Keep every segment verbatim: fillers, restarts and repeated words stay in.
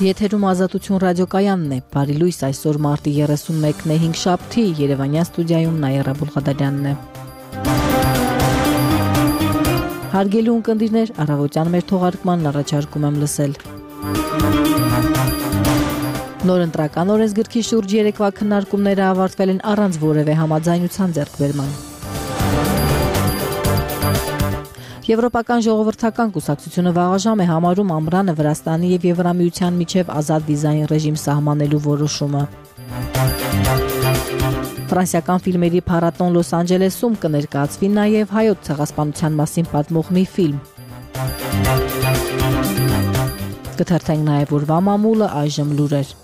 Եթերում Ազատություն ռադիոկայանն է, բարի լույս, այսօր մարտի երեսունմեկն է, հինգշաբթի, Երևանյան ստուդիայում Նաիրա Բուլղադարյանն է։ Հարգելի ունկնդիրներ, առավոտյան մեր թողարկմանն առաջարկում եմ լսել։ Նոր ընտրական օրենսգրքի շուրջ երեկվա քննարկումները ավարտվել են առանց որևէ համաձայնության ձեռքբերման։ Եվրոպական ժողովրդական կուսակցությունը վաղաժամ է համարում Ամռանը Վրաստանի և Եվրամիության միջև ազատ վիզային ռեժիմ սահմանելու որոշումը։ Ֆրանսիական ֆիլմերի փառատոն Լոս Անջելեսում կներկայացվի նաև հայոց ցեղասպանության մասին պատմող մի ֆիլմ։ Կթերթենք նաև օրվա մամուլը, այժմ լուրեր։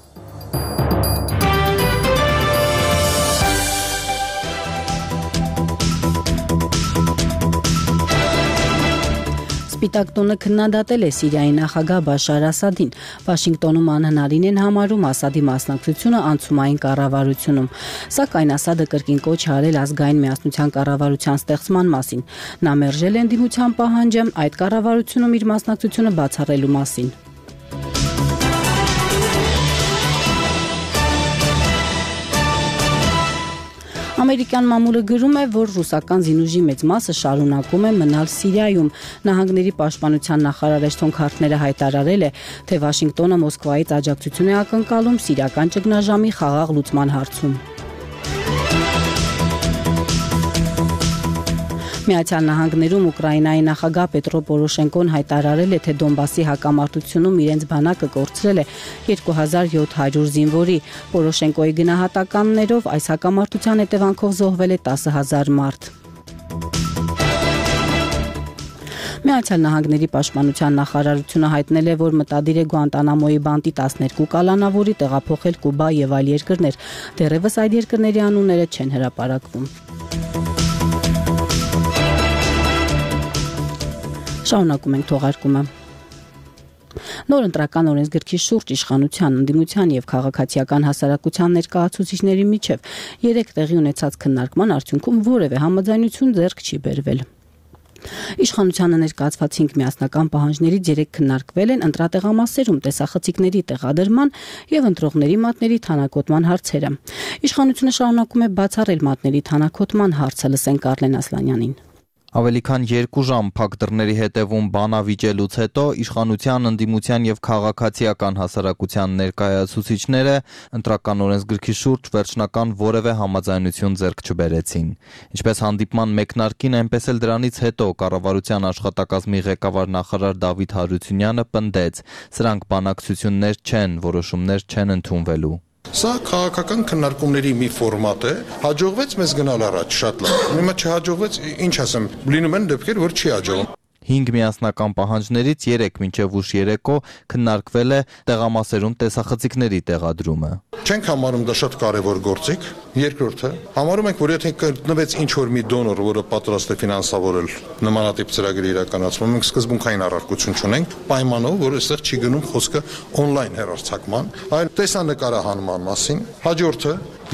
Սպիտակ տունը քննադատել է Սիրիայի նախագահ Բաշար Ասադին։ Վաշինգտոնում անհնարին են համարում Ասադի մասնակցությունը անցումային կառավարությունում։ Սակայն Ասադը կրկին կոչ է արել ազգային միասնության կառավարության ստեղծման մասին։ Նա մերժել է ընդդիմության պահանջը այդ կառավարությունում իր մասնակցությունը բացառելու մասին։ Ամերիկյան մամուլը գրում է, որ ռուսական զինուժի մեծ մասը շարունակում է մնալ Սիրիայում։ Նահանգների պաշտպանության նախարար Էշթոն Քարթները հայտարարել է, թե Վաշինգտոնը Մոսկվայից աջակցություն է ակնկալում սիրիական ճգնաժամի խաղաղ լուծման հարցում։ Միացյալ Նահանգներում Ուկրաինայի նախագահ Պետրո Պորոշենկոն հայտարարել է, թե Դոնբասի հակամարտությունում իրենց բանակը կորցրել է երկու հազար յոթ հարյուր զինվորի։ Պորոշենկոյի գնահատականներով այս հակամարտության հետևանքով զոհվել է տասը հազար մարդ։ Միացյալ Նահանգների պաշտպանության նախարարությունը հայտնել է, որ մտադիր է Գուանտանամոյի բանտի տասներկու կալանավորի տեղափոխել Կուբա եւ այլ երկրներ։ Դեռևս այդ երկրների անունները չեն հրապարակվում։ Շարունակում ենք թողարկումը։ Նոր ընտրական օրենսգրքի շուրջ իշխանության, ընդդիմության եւ քաղաքացիական հասարակության ներկայացուցիչների միջև երեք տեղի ունեցած քննարկման արդյունքում որևէ համաձայնություն ձեռք չի բերվել։ Իշխանությանը ներկայացված հինգ միասնական պահանջներից երեք քննարկվել են ընտրատեղամասերում տեսախցիկների տեղադրման եւ ընտրողների մատների թանաքոտման հարցերը։ Իշխանությունը շարունակում է բացառել մատների թանաքոտման հարցը, լսենք Արլեն Ասլանյանին։ Ավելի քան երկու ժամ փակ դռների հետևում բանավիճելուց հետո իշխանության, ընդդիմության եւ քաղաքացիական հասարակության ներկայացուցիչները ընտրական օրենսգրքի շուրջ վերջնական որևէ համաձայնություն ձեռք չբերեցին։ Ինչպես հանդիպման մեկնարկին, այնպես էլ դրանից հետո կառավարության աշխատակազմի ղեկավար նախարար Դավիթ Հարությունյանը պնդեց, սրանք բանակցություններ չեն, որոշումներ չեն ընդունվելու։ Սա քաղաքական քննարկումների մի ֆորմատ է, հաջողվեց մեզ գնալ առաջ շատ լավ։ Հիմա չհաջողվեց, ինչ ասեմ, լինում են դեպքեր, որ չի հաջողվում։ Հինգ միասնական պահանջներից երեք մինչև ուշ երեկո քննարկվել է տեղամասերում տեսախցիկների տեղադրումը։ Չենք համարում դա շատ կարևոր գործիք։ Երկրորդը, համարում ենք, որ եթե գտնվեց ինչ-որ մի դոնոր, որը պատրաստ է ֆինանսավորել նմանատիպ ծրագրի իրականացումը, մենք սկզբունքային առարկություն չունենք, պայմանով, որ այստեղ չի գնում խոսքը օնլայն հեռարձակման, այլ տեսանկարահանման մասին։ Հաջորդը,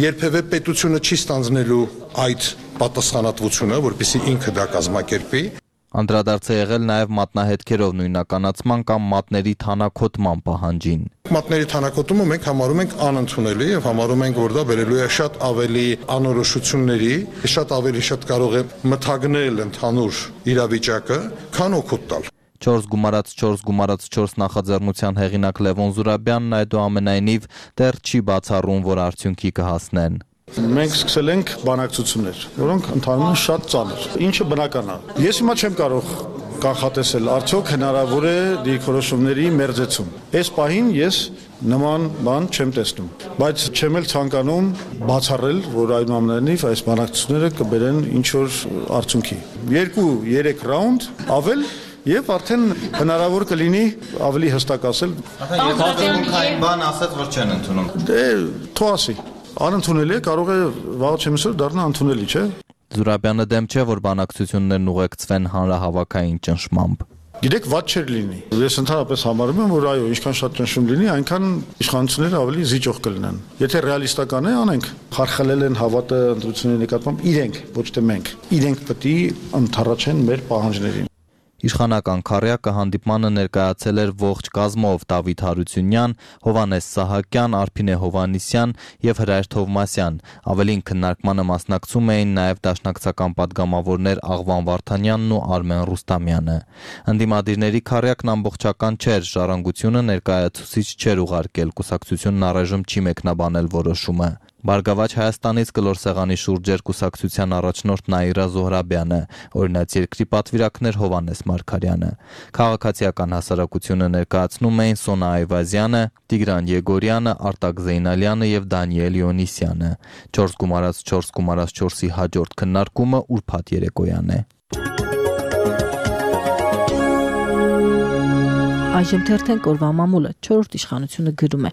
երբևէ պետությունը չի ստանձնելու այդ պատասխանատվությունը, որպեսզի ինքը դա կազմակերպի։ Անդրադարձ է եղել նաև մատնահետքերով նույնականացման կամ մատների թանաքոտման պահանջին։ Մատների թանաքոտումը մենք համարում ենք անընդունելի եւ համարում ենք, որ դա բերելու է շատ ավելի անորոշությունների, շատ ավելի շատ կարող է մթագնել ընդհանուր իրավիճակը, քան օգուտ տալ։ չորս գումարած չորս գումարած չորս նախաձեռնության հեղինակ Լևոն Զուրաբյանն այդուամենայնիվ դեռ չի բացառում, որ արդյունքի կհասնեն։ Մենք սկսել ենք բանակցություններ, որոնք ընթանում են շատ ծանր, ինչը բնական է։ Ես հիմա չեմ կարող կանխատեսել, արդյոք հնարավոր է դիրքորոշումների մերձեցում։ Այս պահին ես նման բան չեմ տեսնում, բայց չեմ էլ ցանկանում բացառել, որ այնուամենայնիվ այս բանակցությունները կբերեն ինչ-որ արդյունքի։ Երկու-երեք ռաունդ ավել Եվ արդեն հնարավոր կլինի ավելի հստակ ասել։ Եթե բան ասած, որ չեն ընդունում։ Դե թող ասի։ Անընդունելի է, կարող է վաղ չեմիսոր դառնա ընդունելի, չէ՞։ Զուրաբյանը դեմ չէ, որ բանակցություններն ուղեկցվեն հանրահավաքային ճնշմամբ։ Գիտեք, վատ չէր լինի։ Ես ընդհանրապես համարում եմ, որ այո, ինչքան շատ ճնշում լինի, այնքան իշխանությունները ավելի զիջող կլինեն։ Եթե ռեալիստական է, անենք։ Խարխլել են հավատը ընտրությունների նկատմամբ իրենք, ոչ թե մենք։ Իրենք պետք է ընդառաջեն մեր պահանջներին։ Իշխանական քառյակը հանդիպմանը ներկայացել էր ողջ կազմով Դավիթ Հարությունյան, Հովհաննես Սահակյան, Արփինե Հովհաննիսյան եւ Հրայր Թովմասյան։ Ավելին քննարկմանը մասնակցում էին նաեւ դաշնակցական падգամավորներ Աղվան Վարդանյանն ու Արմեն Ռուստամյանը։ Ընդդիմադիրների քառյակն ամբողջական չէր, Ժառանգությունը ներկայացուցիչ չէր ուղարկել, կուսակցությունն առայժմ չի մեկնաբանել որոշումը։ Բարգավաճ Հայաստանից կլոր սեղանի շուրջ էր կուսակցության առաջնորդ Նաիրա Զոհրաբյանը, օրինաց երկրի պատվիրակներ Հովհաննես Մարգարյանը։ Քաղաքացիական հասարակությունը ներկայացնում էին Սոնա Այվազյանը, Տիգրան Եգորյանը, Արտակ Զեյնալյանը եւ Դանիել Իոնիսյանը։ չորս գումարած չորս գումարած չորսի հաջորդ քննարկումը ուրբաթ երեկոյան է։ Այժմ թերթենք օրվա մամուլը, չորրորդ իշխանությունը գրում է.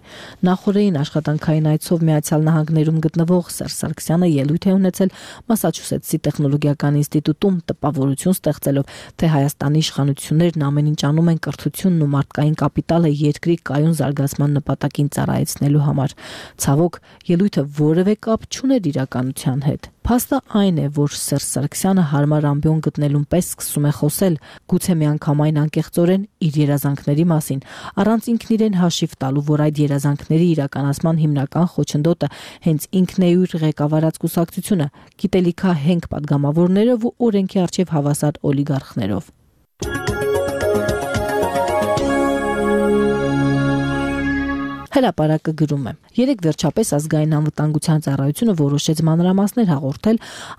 Նախորդին աշխատանքային այցով Միացյալ Նահանգներում գտնվող Սերժ Սարգսյանը ելույթ է ունեցել Մասաչուսեթսի տեխնոլոգիական ինստիտուտում, տպավորություն ստեղծելով, թե Հայաստանի իշխանություններն ամեն ինչ անում են կրթությունն ու մարդկային կապիտալը երկրի կայուն զարգացման նպատակին ծառայեցնելու համար։ Ցավոք, ելույթը որևէ կապ չուներ իրականության հետ։ Փաստը այն է, որ Սերժ Սարգսյանը հարմար ամբիոն գտնելուն պես սկսում է խոսել, գուցե միանգամայն անկեղծորեն իր երազանքների մասին, առանց ինքն իրեն հաշիվ տալու, որ այդ երազանքների իրականացման հիմնական խոչընդոտը հենց ինքն է իր ղեկավարած կուսակցությունը, գիտելիքահենք падգամավորներով ու օրենքի առջև հավասար օլիգարխներով։ Հրապարակը գրում է. Երեք վերջապես ազգային անվտանգության ծառայությունը որոշեց մանրամասներ հաղորդել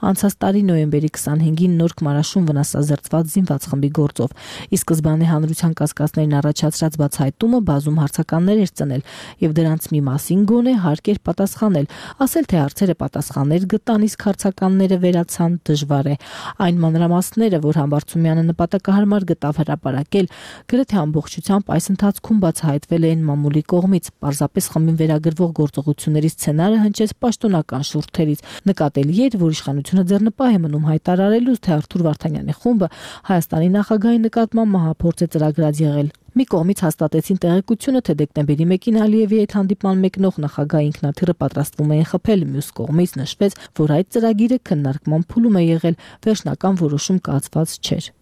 անցած տարի նոյեմբերի քսանհինգին Նորք Մարաշում վնասազերծված զինված խմբի գործով։ Ի սկզբանե հանրության կասկածներին առաջացրած բացահայտումը բազում հարցականներ էր ծնել եւ դրանց մի մասին գոնե հարկ էր պատասխանել, ասել թե հարցերը պատասխաններ գտան, իսկ հարցականները վերացան դժվար է։ Այն մանրամասները, որ Համբարձումյանը նպատակահարմար գտավ հրապարակել, գրեթե ամբողջությամբ այս ընթացքում բացահայտվել են մամուլի կողմից։ Պարզապես խմբին վերագրվող գործողությունների սցենարը հնչեց պաշտոնական շուրթերից։ Նկատելի էր, որ իշխանությունը ձեռնպահ է մնում հայտարարելուց, թե Արթուր Վարդանյանի խումբը Հայաստանի նախագահի նկատմամբ մահափորձ է ծրագրած եղել։ Մի կողմից հաստատեցին տեղեկությունը, թե դեկտեմբերի մեկին Ալիևի հետ հանդիպման մեկնող նախագահի ինքնաթիռը պատրաստվում էին խփել, մյուս կողմից նշվեց, որ այդ ծրագիրը քննարկման փուլում է եղել, վերջնական որոշում կայացված չէր։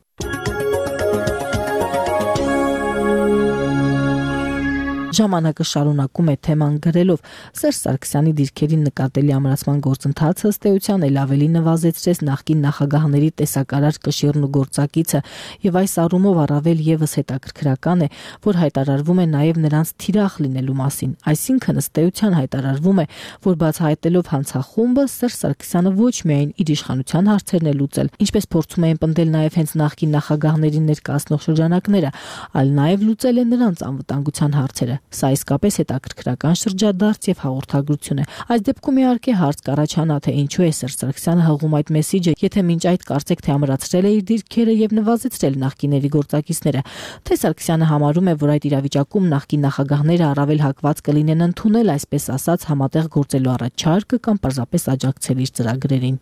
Ժամանակը շարունակում է թեման գրելով. Սերժ Սարգսյանի դիրքերին նկատելի ամրացման գործընթացը ըստ էության էլ ավելի նվազեցրեց նախկին նախագահների տեսակարար կշիռն ու գործակիցը, եւ այս առումով առավել եւս հետաքրքրական է, որ հայտարարվում է նաեւ նրանց թիրախ լինելու մասին։ Այսինքն ըստ էության հայտարարվում է, որ բացահայտելով հանցախումբը Սերժ Սարգսյանը ոչ միայն իր իշխանության հարցերն է լուծել, ինչպես փորձում էին պնդել նաեւ հենց նախկին նախագահներին ներկայացնող շրջանակները, այլ նաեւ լուծել է նրանց անվտանգության հարցերը։ Սա իսկապես հետաքրքրական շրջադարձ եւ հաղորդագրություն է։ Այս դեպքում իհարկե հարց կառաջանա, թե ինչու է Սերժ Սարգսյանը հղում այդ մեսիջը, եթե մինչ այդ կարծեք թե ամրացրել է իր դիրքերը եւ նվազեցրել նախկիների գործակիցները, թե Սարգսյանը համարում է, որ այդ իրավիճակում նախկին նախագահները առավել հակված կլինեն ընդունել, այսպես ասած, համատեղ գործելու առաջարկը կամ պարզապես աջակցել իր ծրագրերին։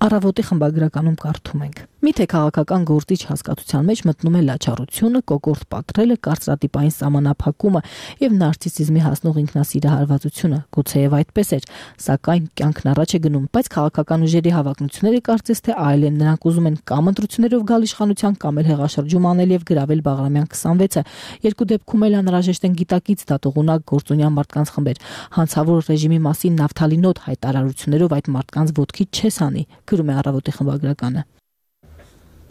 Առավոտի խմբագրականում կարդում ենք. Միթե քաղաքական գործիչ հասկացության մեջ մտնում է լաչառությունը, կոկորտ պատրելը, կարծրատիպային սահմանափակումը եւ նարցիսիզմի հասնող ինքնասիրահարվածությունը։ Գուցեև այդպես էր, սակայն կյանքն առաջ է գնում, բայց քաղաքական ուժերի հավակնությունները կարծես թե այլ են, նրանք ուզում են կամ ընտրություններով գալ իշխանության, կամ էլ հեղաշրջում անել եւ գրավել Բաղրամյան քսանվեցը։ Երկու դեպքում էլ անհրաժեշտ են գիտակից դատողունակ գործունյա մարդկանց խմբեր։ Հանցավոր ռեժիմի մասին նավթալինոտ հայտարարություններով այդ մարդկանց ոտքի չես անի, գրում է Առավոտի խմբագրականը։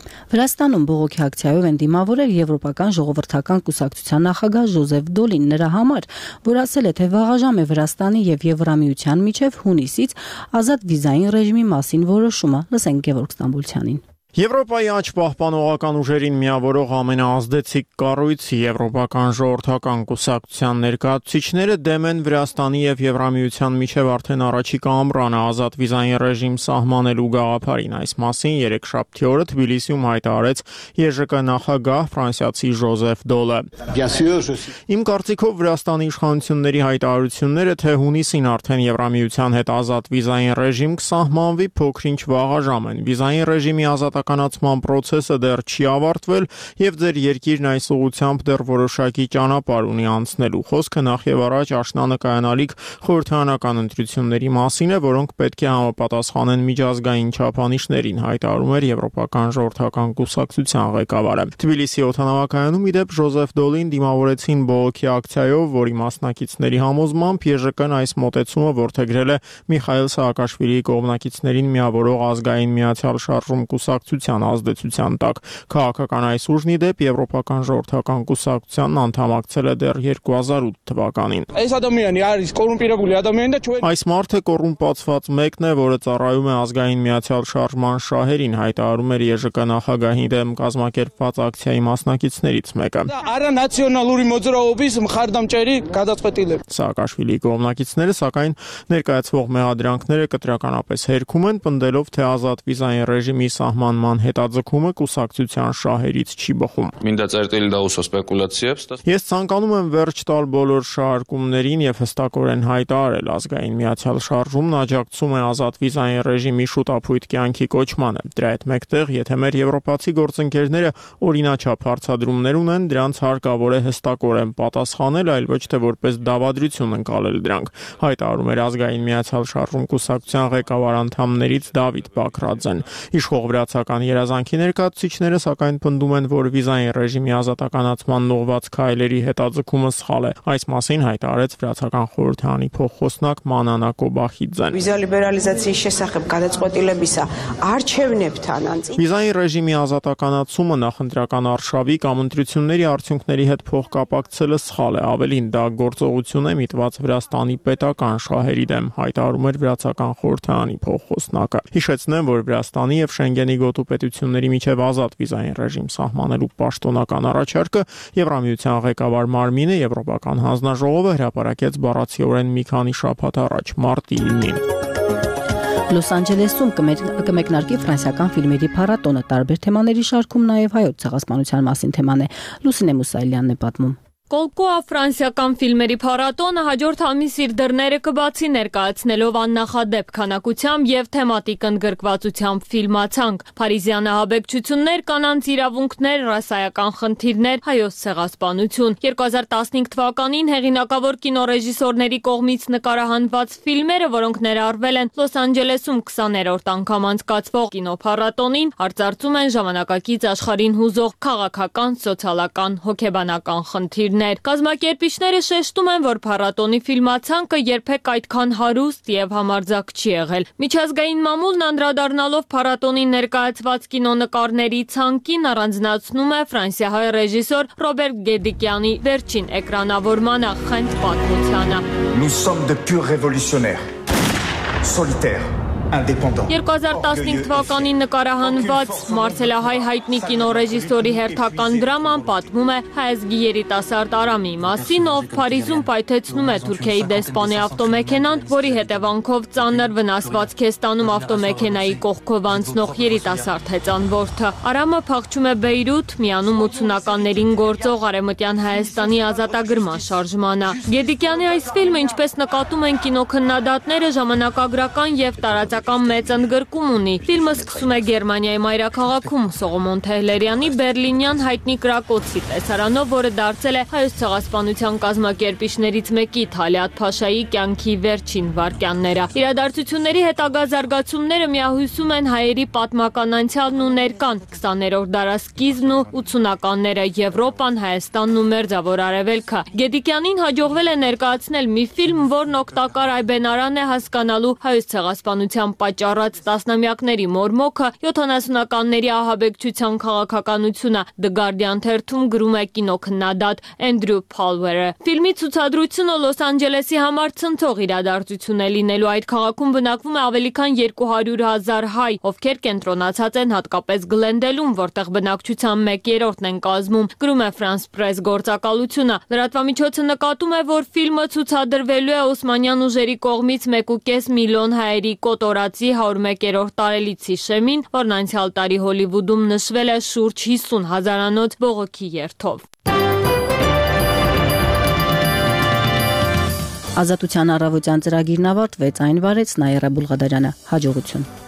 Վրաստանում բողոքի ակցիայով են դիմավորել Եվրոպական ժողովրդական կուսակցության նախագահ Ժոզեֆ Դոլին նրա համար, որ ասել է, թե վաղաժամ է Վրաստանի եւ Եվրամիության միջև հունիսից ազատ վիզային ռեժիմի մասին որոշումը։ Լսենք Գևորգ Ստամբուլցյանին։ Եվրոպայի աճ պահպանողական ուժերին միավորող ամենաազդեցիկ կառույց Եվրոպական ժողովրդական կուսակցության ներկայացուցիչները դեմ են Վրաստանի եւ Եվրամիության միջև արդեն առաջիկա ամռանը ազատ վիզային ռեժիմ սահմանելու գաղափարին։ Այս մասին երեքշաբթի օրը Թբիլիսիում հայտարարեց Է Ժ Կ նախագահ ֆրանսիացի Ժոզեֆ Դոլը։ Իմ կարծիքով Վրաստանի իշխանությունների հայտարարությունները, թե հունիսին արդեն Եվրամիության հետ ազատ վիզային ռեժիմ կսահմանվի, փոքրինչ վաղաժամ են։ Վիզային ռեժիմի ազատ ազատականացման process-ը դեռ չի ավարտվել եւ ձեր երկիրն այս ուղղությամբ դեռ որոշակի ճանապարհ ունի անցնելու։ Խոսքը նախ եւ առաջ աշնանը կայանալիք խորհրդարանական ընտրությունների մասին է, որոնք պետք է համապատասխանեն միջազգային չափանիշներին, հայտարարում էր Եվրոպական ժողովրդական կուսակցության ղեկավարը։ Թբիլիսի օդանավակայանում ի դեպ Ժոզեֆ Դոլին դիմավորեցին բողոքի ակցիայով, որի մասնակիցների համոզմամբ Է Ժ Կն այս մոտեցումը որդեգրել է Միխայիլ Սաակաշվիլիի կողմնակիցներին միավորող ազգային միացյալ շարժում կուսակցության ազդեցության տակ։ Քաղաքական այս ուժն ի դեպ Եվրոպական ժողովրդական կուսակցությանն անդամակցել է դեռ երկու հազար ութ թվականին։ Այս մարդը կոռումպացված մեկն է, որը ծառայում է ազգային միացյալ շարժման շահերին, հայտարարում էր Է Ժ Կ նախագահի դեմ կազմակերպված ակցիայի մասնակիցներից մեկը։ Սաակաշվիլիի կողմնակիցները սակայն ներկայացվող մեղադրանքները կտրականապես հերքում են, պնդելով, թե ազատ վիզային ռեժիմի սահմանման հետաձգումը կուսակցության շահերից չի բխում։ Ես ցանկանում եմ վերջ տալ բոլոր շահարկումներին եւ հստակորեն հայտարարել, ազգային միացյալ շարժումն աջակցում է ազատ վիզային ռեժիմի շուտափույթ կյանքի կոչմանը։ Դրա հետ մեկտեղ, եթե մեր եվրոպացի գործընկերները օրինաչափ հարցադրումներ ունեն, դրանց հարկավոր է հստակորեն պատասխանել, այլ ոչ թե որպես դավադրություն ընկալել դրանք, հայտարարում էր ազգային միացյալ շարժում կուսակցության ղեկավար անդամներից Դավիթ Բաքրաձեն։ Իշխող վրացական երազանքի ներկայացուցիչները սակայն պնդում են, որ վիզային ռեժիմի ազատականացման ուղղված քայլերի հետաձգումը սխալ է։ Այս մասին հայտարարեց վրացական խորհրդարանի փոխխոսնակ Մանանա Կոբախիձեն։ Վիզա լիբերալիզացիայի შესახებ გადაწყვეტილებისა արժևնებთან անձի Վիզային ռեժիմի ազատականացումը նախընտրական արշավի կամ ընտրությունների արդյունքների հետ փոխկապակցելը սխալ է, ավելին դա գործողություն է միտված Վրաստանի պետական շահերի դեմ, հայտարարում էր վրացական խորհրդարանի փոխխոսնակը։ Հիշեցնեմ, որ Վրաստանի եւ Շենգենի գոտու պետությունների միջև ազատ վիզային ռեժիմ սահմանելու պաշտոնական առաջարկը Եվրամիության ղեկավար Մարմինը Եվրոպական հանձնաժողովը հրապարակեց բառացիորեն մի քանի շաբաթ առաջ, մարտի իննին։ Լոս Անջելեսում կմեկնարկի ֆրանսիական ֆիլմերի փառատոնը, տարբեր թեմաների շարքում նաև հայոց ցեղասպանության մասին թեման է։ Լուսինե Մուսայելյանն է պատմում։ Կոլկոա ֆրանսիական ֆիլմերի փառատոնը հաջորդ ամիս իր դռները կբացի ներկայացնելով աննախադեպ քանակությամբ եւ թեմատիկ ընդգրկվածությամբ ֆիլմացանկ, փարիզյան ահաբեկչություններ, կանանց իրավունքներ, ռասայական խնդիրներ, հայոց ցեղասպանություն։ երկու հազար տասնհինգ թվականին հեղինակավոր կինոռեժիսորների կողմից նկարահանված ֆիլմերը, որոնք ներառվել են Լոս Անջելեսում քսաներորդ անգամ անցկացվող կինոփառատոնին, արծարծում են ժամանակակից աշխարհին հուզող քաղաքական, սոցիալական, հոգեբանական խնդիրներ։ Կազմակերպիչները շեշտում են, որ փառատոնի ֆիլմացանկը երբեք այդքան հարուստ եւ համարձակ չի եղել։ Միջազգային մամուլն անդրադառնալով փառատոնին ներկայացված կինոնկարների ցանկին առանձնացնում է ֆրանսիահայ ռեժիսոր Ռոբերտ Գեդիկյանի վերջին էկրանավորմանը խենթ պատմությանը։ Nous sommes de purs révolutionnaires, solitaires. երկու հազար տասնհինգ թվականին նկարահանված Մարսելահայ հայտնի կինոռեժիսորի հերթական դրաման պատմում է հայազգի երիտասարդ Արամի մասին, ով Փարիզում պայթեցնում է Թուրքիայի դեսպանի ավտոմեքենան, որի հետևանքով ծանր վնասվածք է ստանում ավտոմեքենայի կողքով անցնող երիտասարդ հեծանվորդը։ Արամը փախչում է Բեյրութ, միանում ութսունականներին գործող Արևմտյան Հայաստանի ազատագրման շարժմանը։ Գեդիկյանի այս ֆիլմը, ինչպես նկատում են կինոքննադատները, ժամանակագրական եւ տարածական մեծ ընդգրկում ունի։ Ֆիլմը սկսում է Գերմանիայի մայրաքաղաքում Սողոմոն Թեհլերյանի բերլինյան հայտնի Կրակոցի տեսարանով, որը դարձել է հայոց ցեղասպանության կազմակերպիչներից մեկի Թալիաթ Փաշայի կյանքի վերջին վայրկյանները։ Իրադարձությունների հետագա զարգացումները միահյուսում են հայերի պատմական անցյալն ու ներկան, քսաներորդ դարասկիզբն ու ութսունականները, Եվրոպան, Հայաստանն ու Մերձավոր Արևելքը։ Գեդիկյանին հաջողվել է ներկայացնել մի ֆիլմ, որն օգտակար այբենարան է հասկանալու հայոց ցեղասպանության պատճառած տասնամյակների մորմոքը, յոթանասունականների ահաբեկչության քաղաքականությունը, The Guardian թերթում գրում է կինոքննադատ Էնդրյու Փալվերը։ Ֆիլմի ցուցադրությունը Լոս Անջելեսի համար ցնցող իրադարձություն է լինելու։ Այդ քաղաքում բնակվում է ավելի քան երկու հարյուր հազար հայ, ովքեր կենտրոնացած են հատկապես Գլենդելում, որտեղ բնակչության մեկ երրորդն են կազմում, գրում է France Press գործակալությունը։ Լրատվամիջոցը նկատում է, որ ֆիլմը ցուցադրվելու է օսմանյան ուժերի կողմից մեկ ու կես միլիոն հայերի կոտորածի հարյուրմեկերորդ տարելիցի շեմին, որն անցյալ տարի Հոլիվուդում նշվել է շուրջ հիսուն հազարանոց բողոքի երթով։ Ազատության առավոտյան ծրագիրն ավարտվեց, այն վարեց Նաիրա Բուլղադարյանը։ Հաջողություն։